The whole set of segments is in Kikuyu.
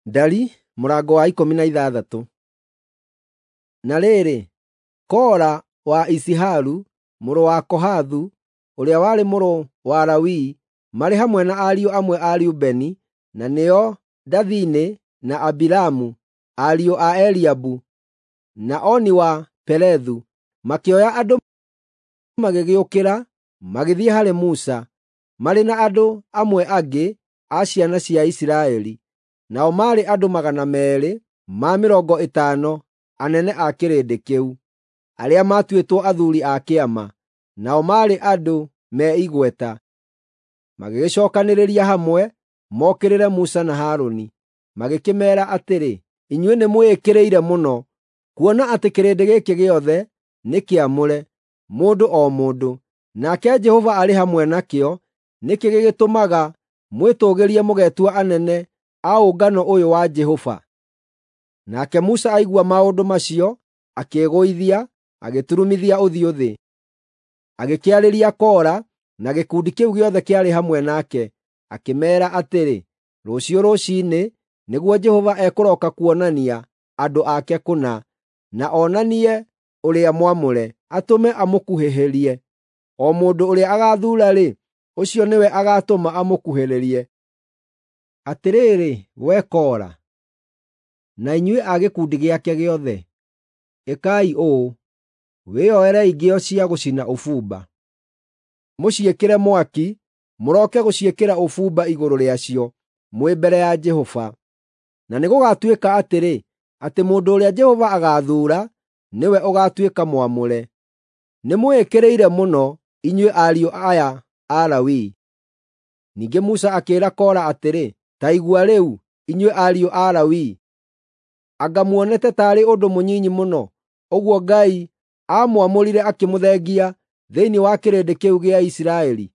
Ndari mũrango wa 16. Na rĩrĩ, Kora wa Iziharu mũrũ wa Kohathu, ũrĩa warĩ mũrũ wa Lawi, marĩ hamwe na ariũ amwe a Rubeni, na nĩo Dathani na Abiramu, ariũ a Eliabu, na Oni wa Pelethu, makĩoya andũ magĩgĩũkĩra magĩthiĩ harĩ Musa, marĩ na andũ amwe angĩ a ciana cia Isiraeli, nao maarĩ andũ 250 anene a kĩrĩndĩ kĩu, arĩa maatuĩtwo athuuri a kĩama, nao maarĩ andũ me igweta. Magĩgĩcookanĩrĩria hamwe mokĩrĩre Musa na Harũni, magĩkĩmeera atĩrĩ, “Inyuĩ nĩmwĩĩkĩrĩire mũno, kuona atĩ kĩrĩndĩ gĩkĩ gĩothe nĩ kĩamũre, mũndũ o mũndũ, nake Jehova arĩ hamwe nakĩo. Nĩkĩ gĩgĩtũmaga mwĩtũũgĩrie mũgetua anene a ũngano ũyũ wa Jehova?” Nake Musa aigua maũndũ macio, akĩĩgũithia, agĩturumithia ũthiũ thĩ. Agĩkĩarĩria Kora na gĩkundi kĩu gĩothe kĩarĩ hamwe nake, akĩmeera atĩrĩ, “Rũciũ rũciinĩ nĩguo Jehova ekũroka kuonania andũ ake kũna, na onanie ũrĩa mwamũre, atũme amũkuhĩhĩrie. O mũndũ ũrĩa agaathuura-rĩ, ũcio nĩwe agaatũma amũkuhĩrĩrie. Atĩrĩrĩ, wee Kora, na inyuĩ a gĩkundi gĩake gĩothe, ĩkai ũũ: Wĩyoerei ngĩo cia gũcina ũbumba, mũciĩkĩre mwaki, mũroke gũciĩkĩra ũbumba igũrũ rĩacio mwĩ mbere ya Jehova. Na nĩgũgatuĩka atĩrĩ, atĩ mũndũ ũrĩa Jehova agaathuura nĩwe ũgaatuĩka mwamũre. Nĩmwĩĩkĩrĩire mũno, inyuĩ ariũ aya a Lawi.” Ningĩ Musa akĩĩra Kora atĩrĩ, “Ta igua rĩu, inyuĩ ariũ a Lawi! Anga muonete taarĩ ũndũ mũnyinyi mũno ũguo Ngai aamwamũrire akĩmũthengia thĩinĩ wa kĩrĩndĩ kĩu gĩa Isiraeli,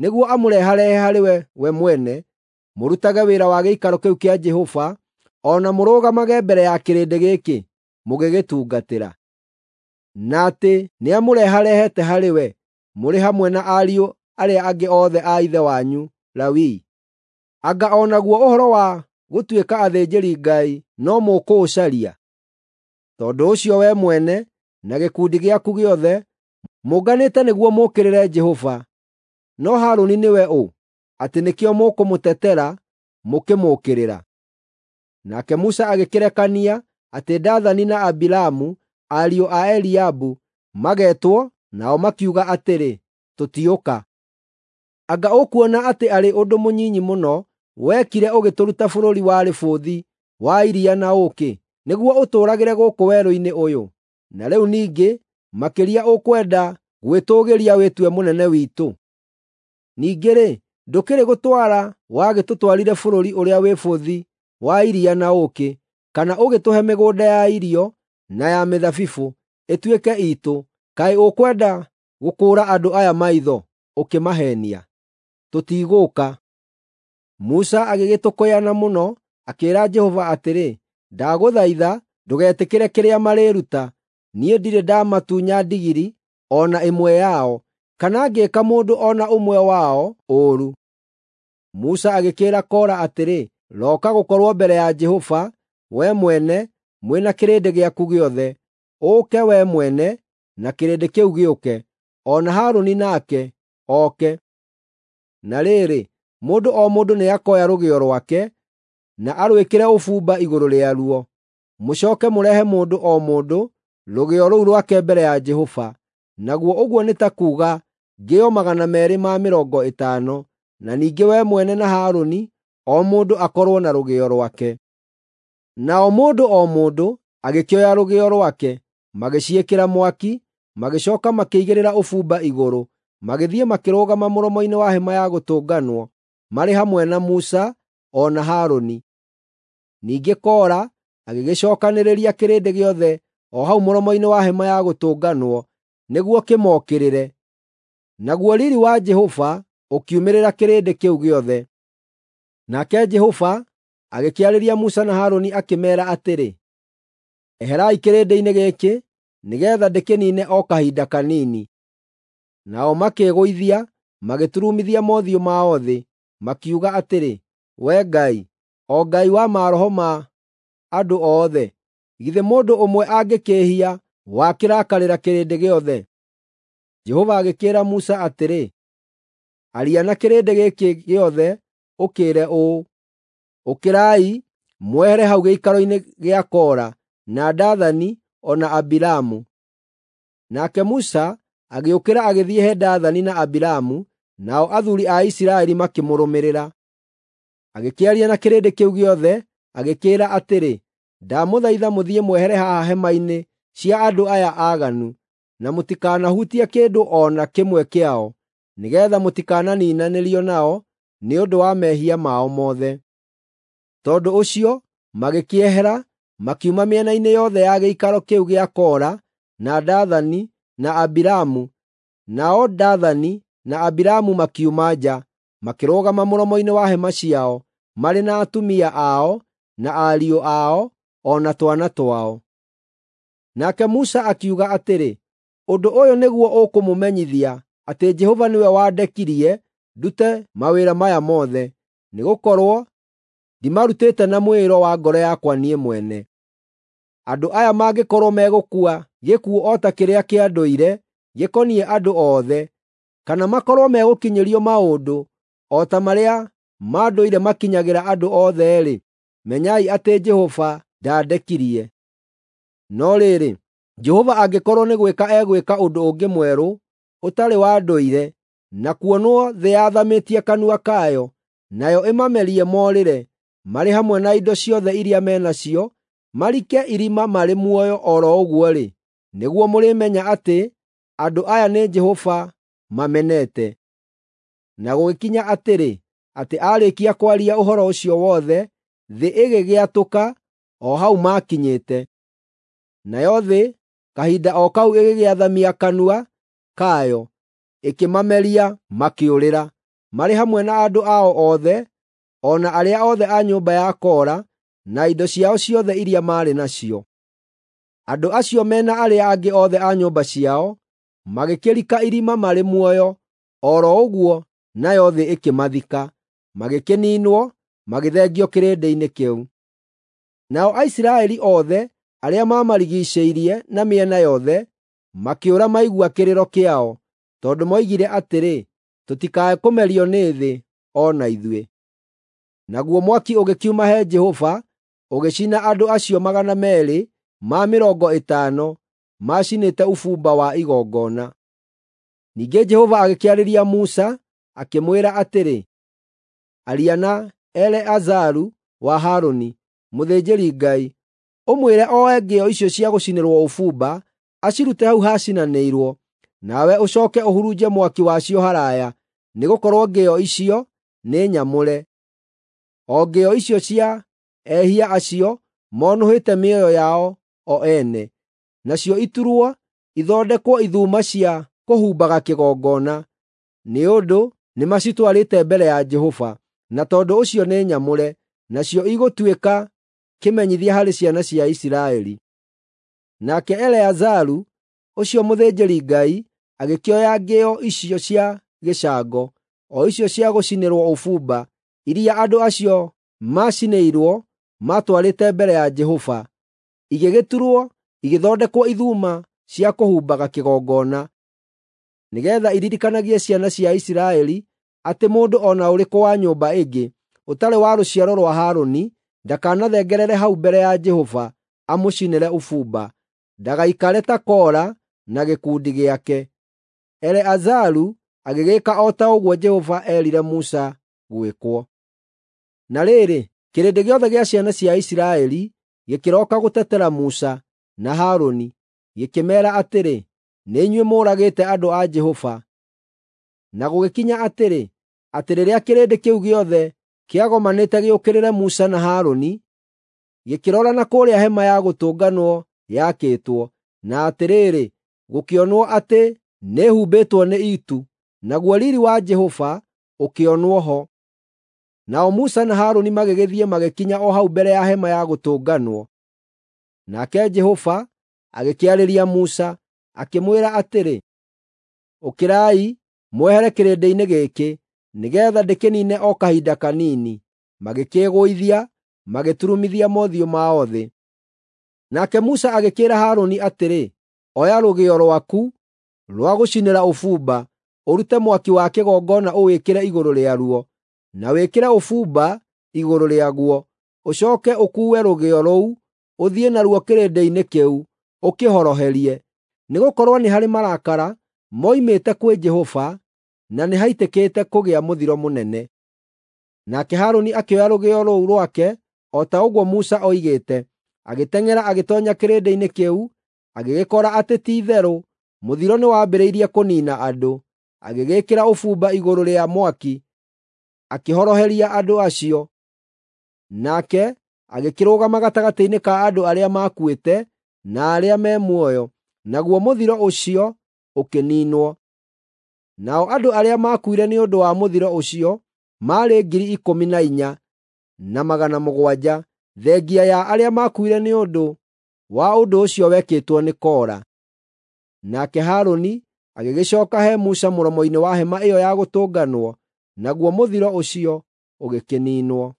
nĩguo amũreharehe harĩ we mwene, mũrutage wĩra wa gĩikaro kĩu kĩa Jehova, o na mũrũgamage mbere ya kĩrĩndĩ gĩkĩ mũgĩgĩtungatĩra, na atĩ nĩamũreharehete harĩ we mũrĩ hamwe na ariũ arĩa angĩ othe a ithe wanyu Lawi? Anga o naguo ũhoro wa gũtuĩka athĩnjĩri-Ngai no mũkũũcaria? Tondũ ũcio wee mwene na gĩkundi gĩaku gĩothe mũnganĩte nĩguo mũũkĩrĩre Jehova. No Harũni nĩwe ũ, atĩ nĩkĩo mũkũmũtetera mũkĩmũũkĩrĩra?” Nake Musa agĩkĩrekania atĩ Dathani na Abiramu, ariũ a Eliabu, magetwo, nao makiuga atĩrĩ, “Tũtiũka! Anga ũkuona atĩ arĩ ũndũ mũnyinyi mũno wekire ũgĩtũruta bũrũri warĩ bũthi wa iria na ũũkĩ, nĩguo ũtũũragĩre gũkũ werũ-inĩ ũyũ? Na rĩu ningĩ makĩria ũkwenda gwĩtũũgĩria wĩtue mũnene witũ? Ningĩ-rĩ, ndũkĩrĩ gũtwara wagĩtũtwarire bũrũri ũrĩa wĩ bũthi wa iria na ũũkĩ, kana ũgĩtũhe mĩgũnda ya irio na ya mĩthabibũ ĩtuĩke iitũ. Kaĩ ũkwenda gũkũũra andũ aya maitho ũkĩmaheenia? Tũtigũũka!” Musa agĩgĩtũkũyana mũno, akĩĩra Jehova atĩrĩ, “Ndagũthaitha ndũgetĩkĩre kĩrĩa marĩĩruta. Niĩ ndirĩ ndamatunya ndigiri o na ĩmwe yao, kana ngĩĩka mũndũ o na ũmwe wao ũũru.” Musa agĩkĩĩra Kora atĩrĩ, “Roka gũkorwo mbere ya Jehova, wee mwene mwĩ na kĩrĩndĩ gĩaku gĩothe, ũũke wee mwene na kĩrĩndĩ kĩu gĩũke, o na Harũni nake oke. Na rĩrĩ, mũndũ o mũndũ nĩakoya rũgĩo rwake na arwĩkĩre ũbumba igũrũ rĩaruo, mũcooke mũrehe mũndũ o mũndũ rũgĩo rũu rwake mbere ya Jehova, naguo ũguo nĩ ta kuuga ngĩo 250, na ningĩ wee mwene na Harũni o mũndũ akorwo na rũgĩo rwake.” Nao mũndũ o mũndũ agĩkĩoya rũgĩo rwake, magĩciĩkĩra mwaki, magĩcooka makĩigĩrĩra ũbumba igũrũ, magĩthiĩ makĩrũgama mũromo-inĩ wa Hema-ya-Gũtũnganwo marĩ hamwe na Musa o na Harũni. Ningĩ Kora agĩgĩcookanĩrĩria kĩrĩndĩ gĩothe o hau mũromo-inĩ wa Hema-ya-Gũtũnganwo nĩguo kĩmookĩrĩre. Naguo riiri wa Jehova ũkiumĩrĩra kĩrĩndĩ kĩu gĩothe. Nake Jehova agĩkĩarĩria Musa na Harũni akĩmeera atĩrĩ, “Eherai kĩrĩndĩ-inĩ gĩkĩ, nĩgeetha ndĩkĩniine o kahinda kanini.” Nao makĩĩgũithia, magĩturumithia mothiũ mao thĩ, makiuga atĩrĩ, “Wee Ngai, o Ngai wa maroho ma andũ othe? Githĩ mũndũ ũmwe angĩkĩĩhia wakĩrakarĩra kĩrĩndĩ gĩothe?” Jehova agĩkĩĩra Musa atĩrĩ, “Aria na kĩrĩndĩ gĩkĩ gĩothe ũkĩĩre ũũ: ‘Ũkĩrai, mwehere hau gĩikaro-inĩ gĩa Kora, na Dathani o na Abiramu.’ ” Nake Musa agĩũkĩra agĩthiĩ he Dathani na Abiramu, nao athuuri a Isiraeli makĩmũrũmĩrĩra. Agĩkĩaria na kĩrĩndĩ kĩu gĩothe, agĩkĩĩra atĩrĩ, “Ndamũthaitha mũthiĩ mwehere haha hema-inĩ cia andũ aya aaganu, na mũtikanahutie kĩndũ o na kĩmwe kĩao, nĩgeetha mũtikananiinanĩrio nao nĩ ũndũ wa mehia mao mothe.” Tondũ ũcio magĩkĩehera, makiuma mĩena-inĩ yothe ya gĩikaro kĩu gĩa Kora, na Dathani na Abiramu. Nao Dathani na Abiramu makiuma nja, makĩrũgama mũromo-inĩ wa hema ciao, marĩ na atumia ao, na ariũ ao, o na twana twao. Nake Musa akiuga atĩrĩ, “Ũndũ ũyũ nĩguo ũkũmũmenyithia atĩ Jehova nĩwe wandekirie ndute mawĩra maya mothe, nĩgũkorwo ndimarutĩte na mwĩĩro wa ngoro yakwa niĩ mwene. Andũ aya mangĩkorwo megũkua gĩkuũ o ta kĩrĩa kĩa ndũire gĩkoniĩ andũ othe, kana makorwo megũkinyĩrio maũndũ o ta marĩa ma ndũire makinyagĩra andũ othe-rĩ, menyai atĩ Jehova ndandekirie. No rĩrĩ, Jehova angĩkorwo nĩ gwĩka egwĩka ũndũ ũngĩ mwerũ ũtarĩ wa ndũire, na kuonwo thĩ yathamĩtie kanua kayo, nayo ĩmamerie morĩre, marĩ hamwe na indo ciothe iria me nacio, marike irima marĩ muoyo o ro ũguo-rĩ, nĩguo mũrĩmenya atĩ andũ aya nĩ Jehova mamenete.” Na gũgĩkinya atĩrĩ, atĩ aarĩkia kwaria ũhoro ũcio wothe, thĩ ĩgĩgĩatũka o hau maakinyĩte. Nayo thĩ kahinda o kau ĩgĩgĩathamia kanua kayo, ĩkĩmameria makĩũrĩra, marĩ hamwe na andũ ao othe, o na arĩa othe a nyũmba ya Kora, na indo ciao ciothe iria maarĩ nacio. Andũ acio me na arĩa angĩ othe a nyũmba ciao magĩkĩrika irima marĩ muoyo o ro ũguo, nayo thĩ ĩkĩmathika, magĩkĩniinwo, magĩthengio kĩrĩndĩ-inĩ kĩu. Nao Aisiraeli othe arĩa maamarigiicĩirie na mĩena yothe makĩũra maigua kĩrĩro kĩao, tondũ moigire atĩrĩ, “Tũtikae kũmerio nĩ thĩ o na ithuĩ.” Naguo mwaki ũgĩkiuma he Jehova ũgĩcina andũ acio 250 maacinĩte ũbumba wa igongona. Ningĩ Jehova agĩkĩarĩria Musa, akĩmwĩra atĩrĩ, “Aria na Eleazaru wa Harũni, mũthĩnjĩri-Ngai, ũmwĩre oe ngĩo icio cia gũcinĩrwo ũbumba, acirute hau hacinanĩirwo, nawe ũcooke ũhurunje mwaki wacio haraaya, nĩgũkorwo ngĩo icio nĩ nyamũre. O ngĩo icio cia ehia acio monũhĩte mĩoyo yao o ene, nacio iturwo ithondekwo ithuma cia kũhumbaga kĩgongona, nĩ ũndũ nĩmacitwarĩte mbere ya Jehova, na tondũ ũcio nĩ nyamũre, nacio igũtuĩka kĩmenyithia harĩ ciana cia Isiraeli.” Nake Eleazaru ũcio mũthĩnjĩri-Ngai agĩkĩoya ngĩo icio cia gĩcango, o icio cia gũcinĩrwo ũbumba, iria andũ acio maacinĩirwo maatwarĩte mbere ya Jehova, igĩgĩturwo igĩthondekwo ithuma cia kũhumbaga kĩgongona, nĩgeetha iririkanagie ciana cia Isiraeli atĩ mũndũ o na ũrĩkũ wa nyũmba ĩngĩ, ũtarĩ wa rũciaro rwa Harũni, ndakanathengerere hau mbere ya Jehova amũcinĩre ũbumba, ndagaikare ta Kora na gĩkundi gĩake. Eleazaru agĩgĩĩka o ta ũguo Jehova eerire Musa gwĩkwo. Na rĩrĩ, kĩrĩndĩ gĩothe gĩa ciana cia Isiraeli gĩkĩroka gũtetera Musa na Harũni, gĩkĩmeera atĩrĩ, “Nĩ inyuĩ mũũragĩte andũ a Jehova.” Na gũgĩkinya atĩrĩ, atĩ rĩrĩa kĩrĩndĩ kĩu gĩothe kĩagomanĩte gĩũkĩrĩre Musa na Harũni, gĩkĩrora na kũrĩa Hema-ya-Gũtũnganwo yakĩtwo, na atĩrĩrĩ, gũkĩonwo atĩ nĩĩhumbĩtwo nĩ itu, naguo riiri wa Jehova ũkĩonwo ho. Nao Musa na Harũni magĩgĩthiĩ magĩkinya o hau mbere ya Hema-ya-Gũtũnganwo. Nake Jehova agĩkĩarĩria Musa, akĩmwĩra atĩrĩ, “Ũkĩrai, mwehere kĩrĩndĩ-inĩ gĩkĩ, nĩgeetha ndĩkĩniine o kahinda kanini.” Magĩkĩĩgũithia, magĩturumithia mothiũ mao thĩ. Nake Musa agĩkĩĩra Harũni atĩrĩ, “Oya rũgĩo rwaku rwa gũcinĩra ũbumba, ũrute mwaki wa kĩgongona ũwĩkĩre igũrũ rĩaruo, na wĩkĩre ũbumba igũrũ rĩaguo. Ũcooke ũkuue rũgĩo rũu, ũthiĩ naruo kĩrĩndĩ-inĩ kĩu, ũkĩhoroherie. Nĩgũkorwo nĩ harĩ marakara moimĩte kwĩ Jehova, na nĩhaitĩkĩte kũgĩa mũthiro mũnene.” Nake Harũni akĩoya rũgĩo rũu rwake o ta ũguo Musa oigĩte, agĩteng'era agĩtoonya kĩrĩndĩ-inĩ kĩu, agĩgĩkora atĩ ti-itherũ mũthiro nĩwambĩrĩirie kũniina andũ. Agĩgĩĩkĩra ũbumba igũrũ rĩa mwaki, akĩhoroheria andũ acio. Nake agĩkĩrũgama gatagatĩ-inĩ ka andũ arĩa maakuĩte na arĩa me muoyo, naguo mũthiro ũcio ũkĩniinwo. Nao andũ arĩa maakuire nĩ ũndũ wa mũthiro ũcio maarĩ 14,700, thengia ya arĩa maakuire nĩ ũndũ wa ũndũ ũcio wekĩtwo nĩ Kora. Nake Harũni agĩgĩcooka he Musa mũromo-inĩ wa hema ĩyo ya gũtũnganwo, naguo mũthiro ũcio ũgĩkĩniinwo.